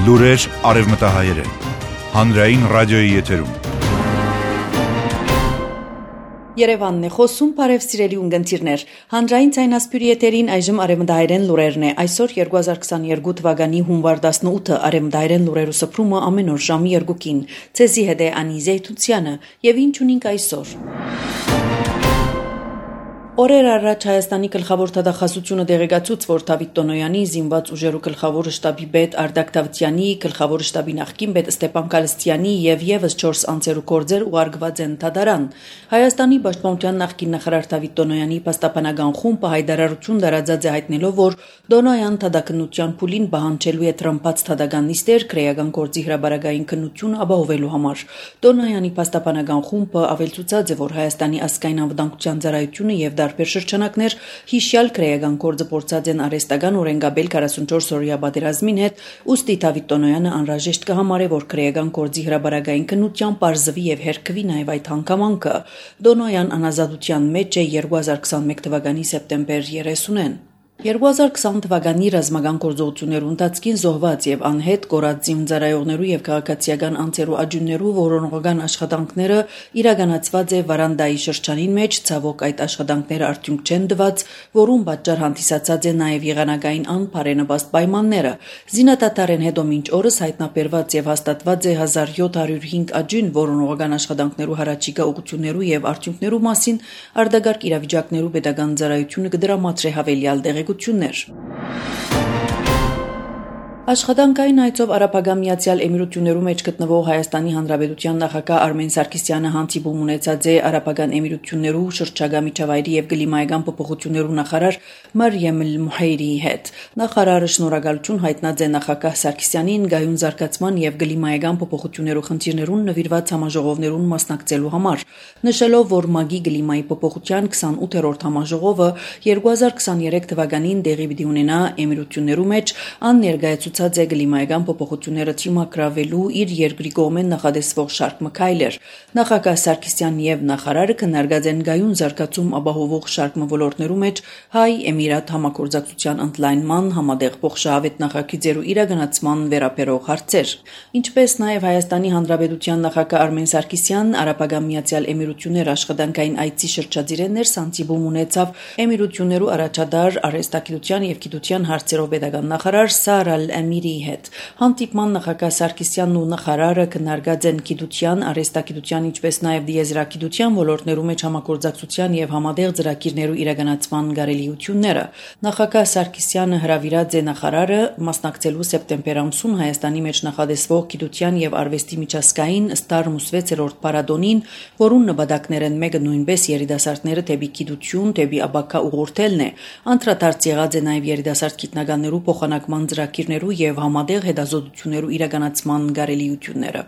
Լուրեր արևմտահայերեն, հանրային ռադիոյի եթերում։ Երևանն է խոսում, բարև սիրելի ունգընտիրներ, հանրային ցայնասպյուրի եթերին այժմ արևմտահայերեն լուրերն է, այսօր 2022 թվականի հունվար 18-ը արևմտահայերեն լուրերու սփռումը ամեն օր ժամի 2-ին, ցեզի հետ է Անի Զեյթունցյանը, եւ ինչ ունենք այսօր։ Օրեր առաջ Հայաստանի գլխավոր թադախազությունը դեղեկացուց, որ Դավիթ Տոնոյանի զինված ուժերու գլխավոր շտաբի պետ Արդակ Դավթյանի, գլխավոր շտաբի նախկին պետ Ստեփան Կալստյանի եւ եւս 4 անձերու գործեր ուղարկված են Թադարան։ Հայաստանի պաշտպանության նախկին նախարար Դավիթ Տոնոյանի պաստապանական խումբը հայտարարություն դարաձած է հայտնելով, որ Տոնոյան թադակնության փուլին բանջելու է տրամփած թադական նիստեր քրեական գործի հրաբարագային քննություն ապահովելու համար։ Տոնոյանի պաստապանական խումբը ավելցուցած է, որ Հայաստանի ազգային անվտանգության ծառայությունը եւ տարբեր շրջանակներ հիշյալ քրեական գործը փորձած են արհեստական օրենգաբել 44 օրյա պատերազմին հետ, ուստի Դավիթ Տոնոյանը անհրաժեշտ կհամարե, որ քրեական գործի հրաբարագային քննության պարզվի եւ հերքվի նաեւ այդ հանգամանքը։ Տոնոյան անազատության մեջ է 2021 թվականի սեպտեմբեր 30-ին։ 2020 թվականի ռազմական գործողություններու ընթացքին զոհված եւ անհետ կորած զինծառայողներու եւ քաղաքացիական անձերու աջուններու որոնողական աշխատանքները իրականացված է Վարանդայի շրջանին մեջ, ցավոք այդ աշխատանքները արդյունք չեն տված, որում պատճառ հանդիսացած է նաեւ եղանակային անբարենպաստ պայմանները։ Զինադատարեն հետո մինչ օրս հայտնաբերված եւ հաստատված է 1705 աջուն որոնողական աշխատանքներու հարաճիգա ուղղություններու եւ արդյունքներու մասին արտագարկ իրավիճակներու պետական ծառայությունը կդրամատրե հավելյալ տեղեկություններ։ Աշխատանքային այցով Արաբական Միացյալ Էմիրություններու մեջ գտնվող Հայաստանի Հանրապետության նախագահ Արմեն Սարգսյանը հանդիպում ունեցած է Արաբական Էմիրություններու շրջագա միջավայրի եւ կլիմայական փոփոխություններու նախարար Մարիամ Էլ-Մուհեյրիի հետ։ Նախարարը շնորհակալություն հայտնած է նախագահ Սարգսյանին գայուն զարգացման եւ կլիմայական փոփոխություններու խնդիրներուն նվիրված համաժողովներուն մասնակցելու համար, նշելով, որ ՄԱԳ-ի կլիմայի փոփոխության 28-րդ համաժողովը 2023 թվականին տեղի պիտի ունենա Էմիրություններու մեջ աններկայացուցած է կլիմայական փոփոխությունները թիմակրավելու իր երկրի կողմեն նախադեсվող շարք մքայլեր։ Նախագահ Սարգսյանն եւ նախարարը քննարկած են գայուն զարգացում ապահովող շարք ոլորտներու մեջ Հայ-Էմիրատ համագործակցության ընդլայնման, համատեղ փոխշահավետ նախագծերու իրականացման վերաբերող հարցեր։ Ինչպես նաեւ Հայաստանի Հանրապետության նախագահ Արմեն Սարգսյանն Արաբական Միացյալ Էմիրություններ աշխատանքային այցի շրջադիրներ սանտիբում ունեցավ Էմիրություններու առաջադար արհեստագիտության եւ գիտության հարցերով պետական նախարար Սար Ալ-Ամիրիի հետ։ Հանդիպման նախագահ Սարգսյանն ու նախարարը քննարկած են գիտության, արհեստագիտության, ինչպես նաեւ դիեզերագիտության ոլորտներու մեջ համագործակցության եւ համատեղ ծրագիրներու իրականացման կարելիությունները։ Նախագահ Սարգսյանը հրավիրած է նախարարը մասնակցելու սեպտեմբեր ամսուն Հայաստանի մեջ նախադեсվող գիտության եւ արվեստի միջազգային Ստարմ 6-րդ փառատոնին, որուն նպատակներն մեկը նույնպես երիտասարդները դեպի գիտություն, դեպի ապակա ուղղորդելն է։ Անդրադարձ եղած է նաեւ երիտասարդ գիտնականներու փոխանակման ծրագիրներու եւ համատեղ հետազոտություններու իրականացման կարելիությունները։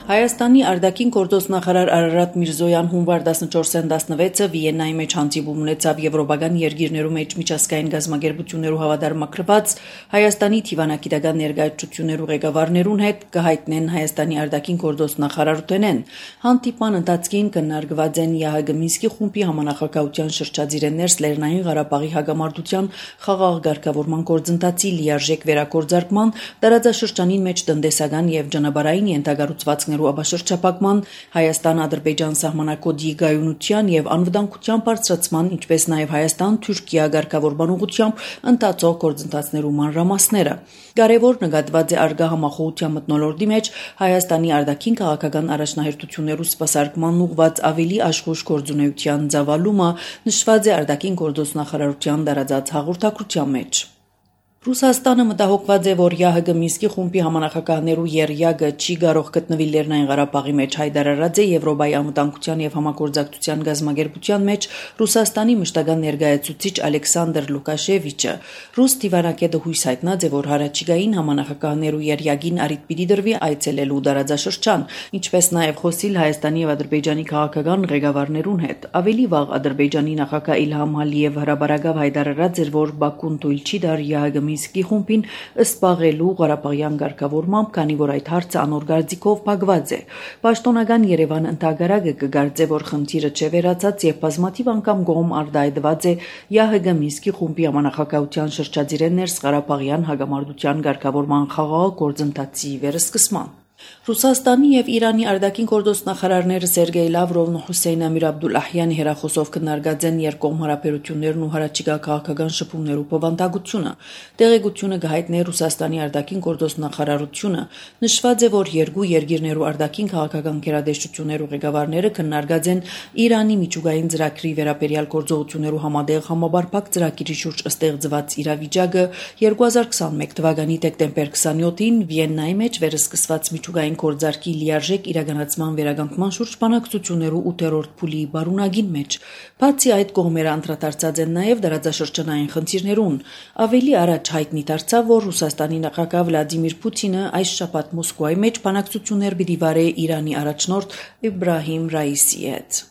Հայաստանի արտաքին գործոս նախարար Արարատ Միրզոյան հունվար 14-ին 16-ը Վիեննայի մեջ հանդիպում ունեցավ եվրոպական երկիրներու մեջ միջազգային գազམ་ագերբություններու հավատարմագրված Հայաստանի թիվանագիտական ներկայացություններու ղեկավարներուն հետ կհայտնեն Հայաստանի արտաքին գործոս նախարարութենեն։ Հանդիպման ընթացքին քննարկված են ԵԱՀԿ Մինսկի խումբի համանախագահության շրջադիրներ Լեռնային Ղարաբաղի հագամարտության խաղաղ ղեկավարման գործընթացի լիարժեք վերագործարկման, տարածաշրջանին մեջ տնտեսական եւ ճանապարհային ենթակառուցվածքներ ապաշրջապակման, Հայաստան-Ադրբեջան սահմանակոդի գայունության եւ անվտանգության բարձրացման, ինչպես նաեւ Հայաստան-Թուրքիա ղեկավարման ուղղությամբ ընթացող գործընթացներու մանրամասները։ Կարևոր նկատված է արգա համախոհության մթնոլորտի մեջ Հայաստանի արտաքին քաղաքական առաջնահերթություններու սպասարկման ուղղված ավելի աշխուժ գործունեության ծավալումը նշված է արտաքին գործոս նախարարության տարածած հաղորդակցության մեջ։ Ռուսաստանը մտահոգված է, որ ԵԱՀԿ Մինսկի խումբի համանախագահներու երյակը չի կարող գտնվել Լեռնային Ղարաբաղի մեջ, հայտարարած է Եվրոպայի անվտանգության եւ համագործակցության գազམ་ագերբության մեջ Ռուսաստանի մշտական ներկայացուցիչ Ալեքսանդր Լուկաշևիչը։ Ռուս դիվանագետը հույս հայտնած է, որ հարաճիգային համանախագահներու երյակին առիթ պիտի դրվի այցելելու տարածաշրջան, ինչպես նաեւ խոսիլ Հայաստանի եւ Ադրբեջանի քաղաքական ղեկավարներուն հետ։ Ավելի վաղ Ադրբեջանի նախագահ Իլհամ Ալիև հրաբարակավ հայտարարած էր, որ Բաքուն թույլ չի տար ԵԱՀԿ Մինսկի խումբին զբաղելու Ղարաբաղյան ղեկավարմամբ, քանի որ այդ հարցը անոր գարձիկով փակված է։ Պաշտոնական Երևան ընդհանրակը կգարձե, որ խնդիրը չէ վերացած եւ բազմաթիվ անգամ գոհում արտահայտված է ՀՀԳ Մինսկի խումբի համանախագահության շրջադիրեն ներս Ղարաբաղյան հագամարտության ղեկավարման խաղաղ գործընթացի վերսկսման։ Ռուսաստանի եւ Իրանի արտաքին գործոստ նախարարները Սերգեյ Լավրովն ու Հուսեյն Ամիր Աբդուլլահյանի հերախոսով քննարկած են երկկողմ հարաբերություններն ու հարաճիգա քաղաքական շփումներու բովանդակությունը։ Տեղեկությունը գահիտնե Ռուսաստանի արտաքին գործոստ նախարարությունը նշված է, որ երկու երկիրներու արտաքին քաղաքական գերատեսչություններու ղեկավարները քննարկած են Իրանի միջուկային ծրագրի վերաբերյալ գործողություններու համատեղ համաբարփակ ծրագրի շուրջ ստեղծված իրավիճակը 2021 թվականի դեկտեմբեր 27-ին Վիեննայի մեջ վերսկսված միջուկային գործարքի լիարժեք իրականացման վերականգնման շուրջ բանակցություններու 8-րդ փուլի բարունակին մեջ։ Բացի այդ կողմերը անդրադարձած են նաև դարաձաշրջանային խնդիրներուն։ Ավելի առաջ հայտնի դարձավ, որ Ռուսաստանի նախագահ Վլադիմիր Պուտինը այս շաբաթ Մոսկվայի մեջ բանակցություններ պիտի վարե Իրանի առաջնորդ Իբրահիմ Ռայիսի հետ։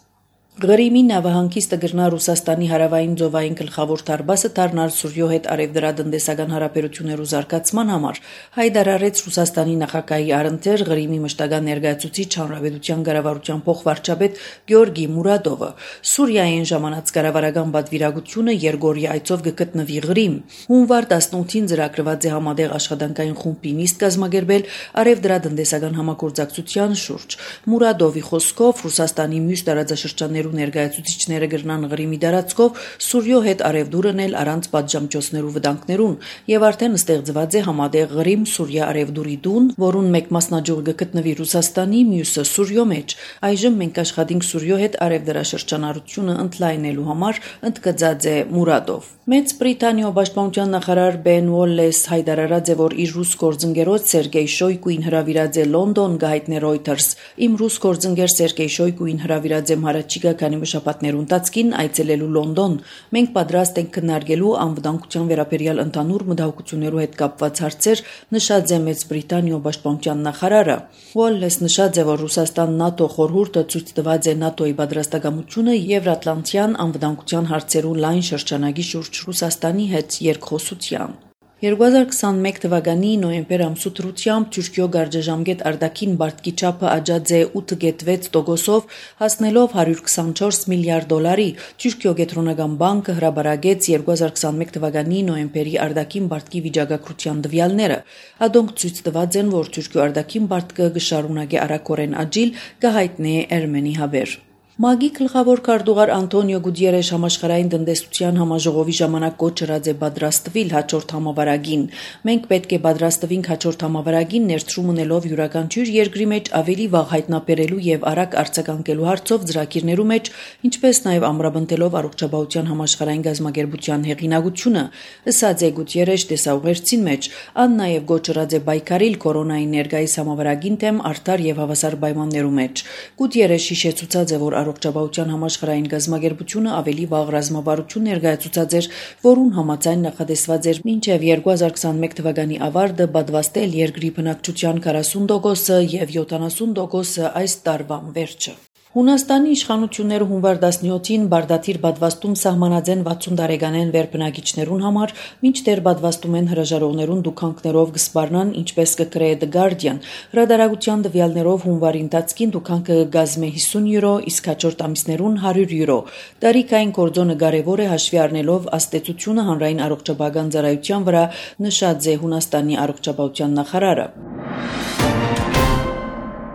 Ղրիմի նավահանգիստը գրնա Ռուսաստանի հարավային ծովային գլխավոր դարբասը դառնալ Սուրյո հետ արևդրատնտեսական հարաբերություններու զարգացման համար, հայտարարեց Ռուսաստանի նախագահի առընթեր Ղրիմի մշտական ներկայացուցիչ հանրապետության կառավարության փոխվարչապետ Գեորգի Մուրադովը։ Սուրիային ժամանած կառավարական պատվիրակությունը Երգորիա այցով կգտնվի Ղրիմ։ Հունվար 18-ին ծրագրված է համատեղ աշխատանքային խումբի նիստ կազմակերպել արևդրատնտեսական համագործակցության շուրջ։ Մուրադովի խոսքով Ռուսաստանի մյուս տարածաշրջաններու ներկայացուցիչները գրնան Ղրիմի դարածքով Սուրյո հետ արևդուրն էլ առանց պատժամիջոցներու վտանգներուն եւ արդեն ստեղծված է համատեղ Ղրիմ-Սուրիա արևդուրի դուն, որուն մեկ մասնաճյուղը գտնվի Ռուսաստանի, մյուսը Սուրյո մեջ։ Այժմ մենք աշխատենք Սուրյո հետ արևդրաշրջանառությունը ընդլայնելու համար, ընդգծած է Մուրադով։ Մեծ Բրիտանիա պաշտպանության նախարար Բեն Ուոլլես հայտարարած է, որ իր ռուս գործընկերոջ Սերգեյ Շոյգուին հրավիրած է Լոնդոն, գահիտնե Reuters։ Իմ ռուս գործընկեր Սերգեյ Շոյգուին հրավիրած եմ հարաճիգա քանի շաբաթներու ընթացքին այցելելու Լոնդոն։ Մենք պատրաստ ենք քննարկելու անվտանգության վերաբերյալ ընդհանուր մտահոգություններու հետ կապված հարցեր, նշած է Մեծ Բրիտանիա պաշտպանության նախարարը։ Ուոլլես նշած է, որ Ռուսաստան-ՆԱՏՕ խորհուրդը ցույց տված է ՆԱՏՕ-ի պատրաստակամությունը Եվրատլանտյան անվտանգության հարցերու լայն շրջանագի շուրջ Ռուսաստանի հետ երկխոսության։ 2021 թվականի նոյեմբեր ամսու դրությամբ Թուրքիո գարժաժամկետ արտաքին բարտկի չափը աճած է 8.6%-ով, հասնելով 124 միլիարդ դոլարի։ Թուրքիո կենտրոնական բանկը հրաբարագեց 2021 թվականի նոյեմբերի արտաքին բարտկի վիճակագրության տվյալները։ Ադոնք ցույց տված են, որ Թուրքիո արտաքին բարտկը կշարունակի արագորեն աճիլ, կհայտնի Էրմենի հավեր։ ՄԱԳ-ի գլխավոր քարտուղար Անտոնիո Գուտիերեշ համաշխարհային տնտեսության համաժողովի ժամանակ կոչրած է պատրաստվել հաջորդ համավարակին։ Մենք պետք է պատրաստվենք հաջորդ համավարակին ներդրում ունելով յուրաքանչյուր երկրի մեջ ավելի վաղ հայտնաբերելու եւ արագ արձագանքելու հարցով ծրագիրներու մեջ, ինչպես նաեւ ամրապնդելով առողջապահության համաշխարհային գազམ་ագերբության հեղինակությունը, ըսած է Գուտիերեշ տեսաուղերձին մեջ, ան նաեւ կոչրած է բայկարիլ կորոնայի ներկայիս համավարակին թեմ արդար եւ հավասար պայմաններու մեջ։ Գուտիերեշ հիշեցուցած է, որ առողջապահության համաշխարհային գազམ་ագերբությունը ավելի վաղ ռազմավարություն ներկայացուցած էր, որուն համաձայն նախատեսված էր մինչև 2021 թվականի ավարտը պատվաստել երկրի բնակչության 40%-ը եւ 70%-ը այս տարվան վերջը։ Հունաստանի իշխանությունները հունվար 17-ին բարդաթիր պատվաստում սահմանած են 60 տարեկանեն վերբնակիչներուն համար, մինչդեռ պատվաստում են հրաժարողներուն դուքանքներով կսպառնան, ինչպես կգրե The Guardian։ Հրադարագության տվյալներով հունվարի ընթացքին դուքանքը կգազմե 50 յուրո, իսկ հաջորդ ամիսներուն 100 յուրո։ Տարիքային կորձոնը կարևոր է հաշվի առնելով աստեցությունը հանրային առողջապահական ծառայության վրա, նշած է Հունաստանի առողջապահության նախարարը։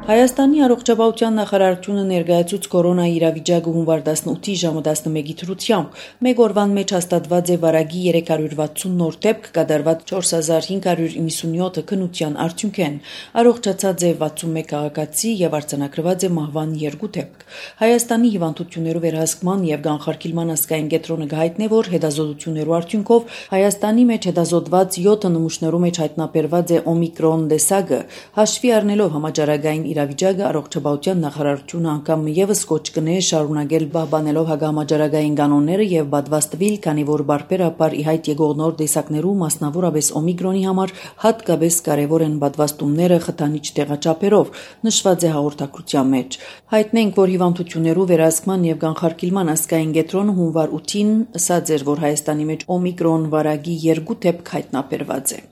Հայաստանի առողջապահության նախարարությունը ներկայացուց կորոնայի իրավիճակը հունվար 18-ի ժամը 11-ի դրությամբ։ Մեկ օրվան մեջ հաստատված է վարակի 360 նոր դեպք, կատարված 4597 քննության արդյունքեն։ Առողջացած է 61 քաղաքացի եւ արձանագրված է մահվան 2 դեպք։ Հայաստանի հիվանդություններու վերահսկման եւ կանխարգելման ազգային կենտրոնը գահիտնե, որ հետազոտություններու արդյունքով Հայաստանի մեջ հետազոտված 7 նմուշներու մեջ հայտնաբերված է օմիկրոն տեսակը, հաշվի առնելով համաճարակային իրավիճակը առողջապահության նախարարությունը անգամ եւս կոչ կնե շարունակել պահպանելով հագամաճարակային կանոնները եւ պատվաստվել, քանի որ բարբերաբար ի հայտ եկող նոր տեսակներու, մասնավորապես օմիկրոնի համար հատկապես կարեւոր են պատվաստումները խթանիչ տեղաչափերով, նշված է հաղորդակցության մեջ։ Հայտնենք, որ հիվանդություններու վերահսկման եւ կանխարգելման ազգային կենտրոնը հունվար 8-ին ասաց էր, որ Հայաստանի մեջ օմիկրոն վարակի 2 դեպք հայտնաբերված է։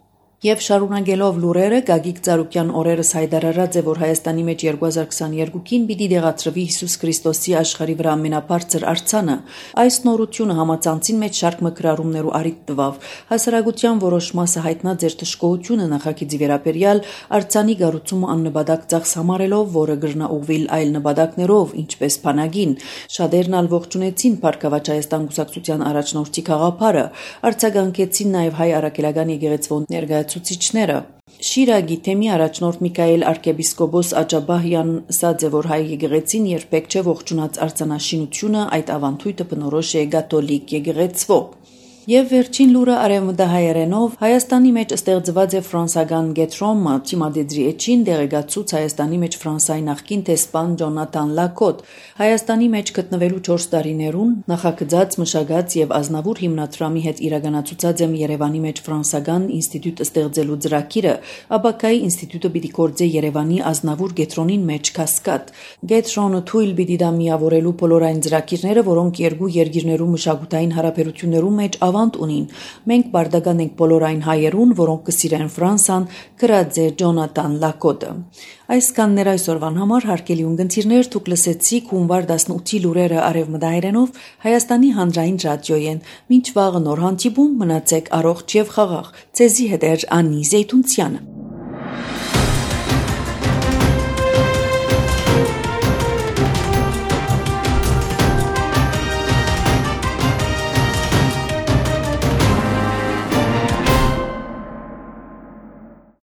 Եվ շարունակելով լուրերը, Գագիկ Ծառուկյան օրերս հայտարարած է, որ Հայաստանի մեջ 2022-ին պիտի դեղացրվի Հիսուս Քրիստոսի աշխարհի վրա ամենաբարձր արձանը։ Այս նորությունը համացանցին մեջ շարք մկրարումներու առիթ տվավ։ Հասարակության որոշ մասը հայտնած էր թշկողությունը նախագիծի վերաբերյալ արձանի կառուցումը աննպատակ ծախս համարելով, որը կրնա ուղղվել այլ նպատակներով, ինչպես բանակին։ Շատերն ալ ողջունեցին Փառքավաճ Հայաստան կուսակցության առաջնորդի գաղափարը, արձագանքեցին նաև հայ առաքելական եկեղեցու ներկայացուցիչները։ Շիրագի թեմի առաջնորդ Միքայել arczepiskopos Աջաբահյանն ասաց է, որ հայ եկեղեցին երբեք չէ ողջունած արձանաշինությունը, այդ ավանդույթը բնորոշ է կաթոլիկ եկեղեցվո։ Եվ վերջին լուրը արևմտահայերենով Հայաստանի մեջ ստեղծված է ֆրանսական կենտրոնը Թիմադեդրի էջին դեղեկացուց Հայաստանի մեջ Ֆրանսայի նախկին տեսփան Ջոնաթան Լակոտ Հայաստանի մեջ գտնվելու 4 տարիներուն նախագծած մշակած եւ ազնավուր հիմնադրամի հետ իրականացուցած եմ Երևանի մեջ ֆրանսական ինստիտուտ ստեղծելու ծրագիրը Աբակայի ինստիտուտը պիտի գործե Երևանի ազնավուր կենտրոնին մեջ կասկադ կենտրոնը թույլ պիտի դա միավորելու բոլոր այն ծրագիրները որոնք երկու երկիրներու մշակութային հարաբերություններու մեջ ավանդ ունին։ Մենք բարդական ենք բոլոր այն հայերուն, որոնք կսիրեն Ֆրանսան, գրած է Ջոնաթան Լակոտը։ Այսքաններ այսօրվան համար հարգելի ունգընտիրներ, դուք լսեցիք հունվար 18-ի լուրերը արևմտահայերենով Հայաստանի հանրային ռադիոյեն։ Մինչ վաղը նոր հանդիպում մնացեք առողջ եւ խաղաղ։ Ձեզի հետ էր Անի Զեյթունցյանը։